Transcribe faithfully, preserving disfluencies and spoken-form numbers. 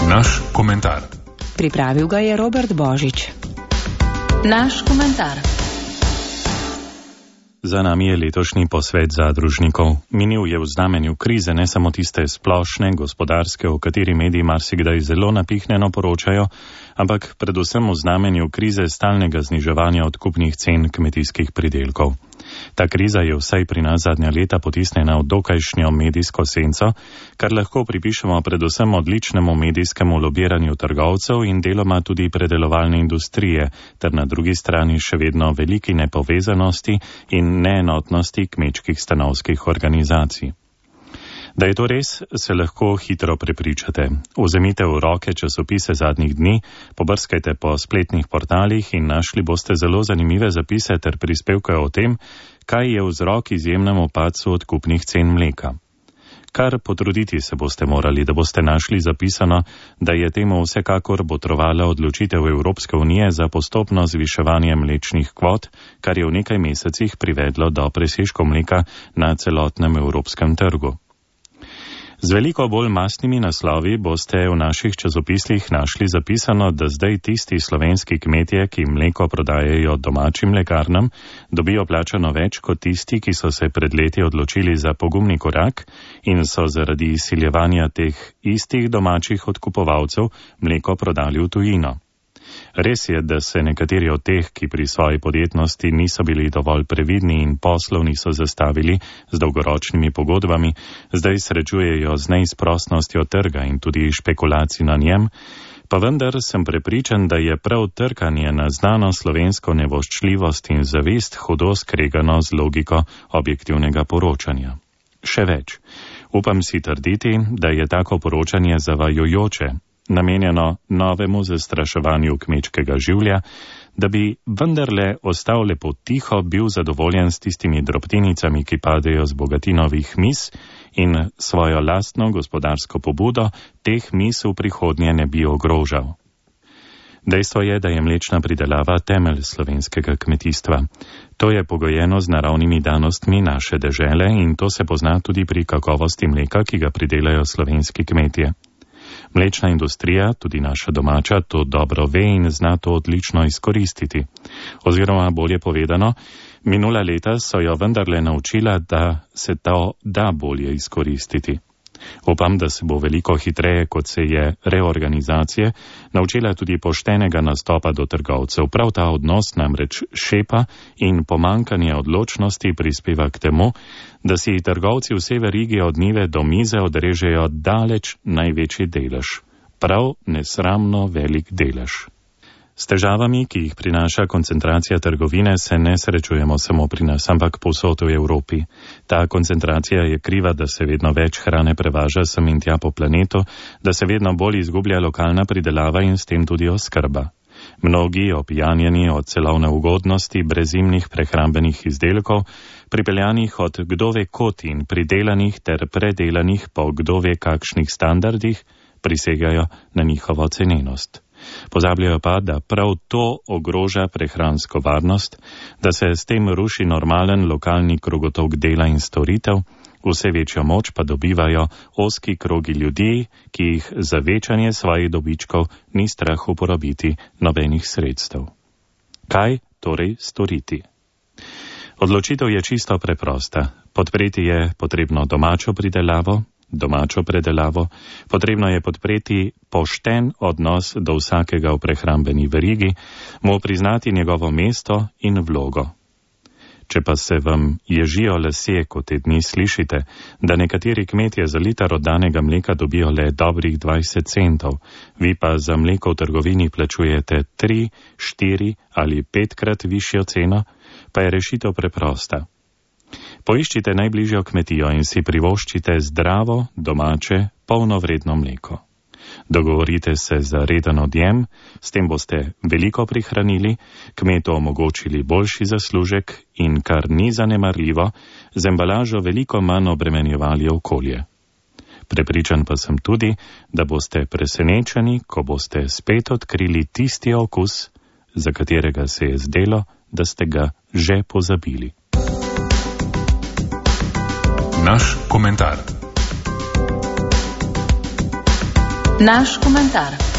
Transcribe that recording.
Naš komentar. Pripravil ga je Robert Božič. Naš komentar. Za nami je letošnji posvet zadružnikov. Minil je v znamenju krize, ne samo tiste splošne, gospodarske, o kateri mediji marsikdaj zelo napihnjeno poročajo, ampak predvsem v znamenju krize stalnega zniževanja odkupnih cen kmetijskih pridelkov. Ta kriza je vsaj pri nas zadnja leta potisnjena v dokajšnjo medijsko senco, kar lahko pripišemo predvsem odličnemu medijskemu lobiranju trgovcev in deloma tudi predelovalne industrije, ter na drugi strani še vedno veliki nepovezanosti in neenotnosti kmečkih stanovskih organizacij. Da je to res, se lahko hitro prepričate. Vzemite v roke časopise zadnjih dni, pobrskajte po spletnih portalih in našli boste zelo zanimive zapise ter prispevke o tem, kaj je vzrok izjemnemu padcu odkupnih cen mleka. Kar potruditi se boste morali, da boste našli zapisano, da je temu vsekakor botrovala odločitev Evropske unije za postopno zviševanje mlečnih kvot, kar je v nekaj mesecih privedlo do presežkov mleka na celotnem evropskem trgu. Z veliko bolj mastnimi naslovi boste v naših časopislih našli zapisano, da zdaj tisti slovenski kmetje, ki mleko prodajajo domačim mlekarnam, dobijo plačano več kot tisti, ki so se pred leti odločili za pogumni korak in so zaradi izsiljevanja teh istih domačih odkupovalcev mleko prodali v tujino. Res je, da se nekateri od teh, ki pri svoji podjetnosti niso bili dovolj previdni in poslov niso zastavili z dolgoročnimi pogodbami, zdaj srečujejo z neizprostnostjo trga in tudi špekulacij na njem, pa vendar sem prepričan, da je prav trkanje na znano slovensko nevoščljivost in zavist hudo skregano z logiko objektivnega poročanja. Še več, upam si trditi, da je tako poročanje zavajajoče, namenjeno novemu zastraševanju kmečkega življa, da bi vendarle ostal lepo tiho, bil zadovoljen s tistimi drobtinicami, ki padejo z bogatinovih mis in svojo lastno gospodarsko pobudo teh mis v prihodnje ne bi ogrožal. Dejstvo je, da je mlečna pridelava temelj slovenskega kmetijstva. To je pogojeno z naravnimi danostmi naše dežele in to se pozna tudi pri kakovosti mleka, ki ga pridelajo slovenski kmetje. Mlečna industrija, tudi naša domača, to dobro ve in zna to odlično izkoristiti. Oziroma, bolje povedano, minula leta so jo vendarle naučila, da se to da bolje izkoristiti. Upam, da se bo veliko hitreje, kot se je reorganizacije, naučila tudi poštenega nastopa do trgovcev. Prav ta odnos namreč šepa in pomankanje odločnosti prispeva k temu, da si trgovci vse verige od njive do mize odrežejo daleč največji delež. Prav nesramno velik delež. S težavami, ki jih prinaša koncentracija trgovine, se ne srečujemo samo pri nas, ampak povsod v Evropi. Ta koncentracija je kriva, da se vedno več hrane prevaža sem in tja po planetu, da se vedno bolj izgublja lokalna pridelava in s tem tudi oskrba. Mnogi, opijanjeni od celovne ugodnosti brezimnih prehrambenih izdelkov, pripeljanih od kdove kot in pridelanih ter predelanih po kdove kakšnih standardih, prisegajo na njihovo cenenost. Pozabljajo pa, da prav to ogroža prehransko varnost, da se s tem ruši normalen lokalni krogotok dela in storitev, vse večjo moč pa dobivajo ozki krogi ljudi, ki jih za večanje svojih dobičkov ni strah uporabiti nobenih sredstev. Kaj torej storiti? Odločitev je čisto preprosta. Podpreti je potrebno domačo pridelavo, domačo predelavo, potrebno je podpreti pošten odnos do vsakega v prehrambeni verigi, mu priznati njegovo mesto in vlogo. Če pa se vam ježijo lasje, kot te dni slišite, da nekateri kmetje za liter oddanega mleka dobijo le dobrih dvajset centov, vi pa za mleko v trgovini plačujete tri, štiri ali petkrat višjo ceno, pa je rešitev preprosta. Poiščite najbližjo kmetijo in si privoščite zdravo, domače, polnovredno mleko. Dogovorite se za reden odjem, s tem boste veliko prihranili, kmetu omogočili boljši zaslužek in, kar ni zanemarljivo, z embalažo veliko manj obremenjevali okolje. Prepričan pa sem tudi, da boste presenečeni, ko boste spet odkrili tisti okus, za katerega se je zdelo, da ste ga že pozabili. Naš komentar. Naš komentar.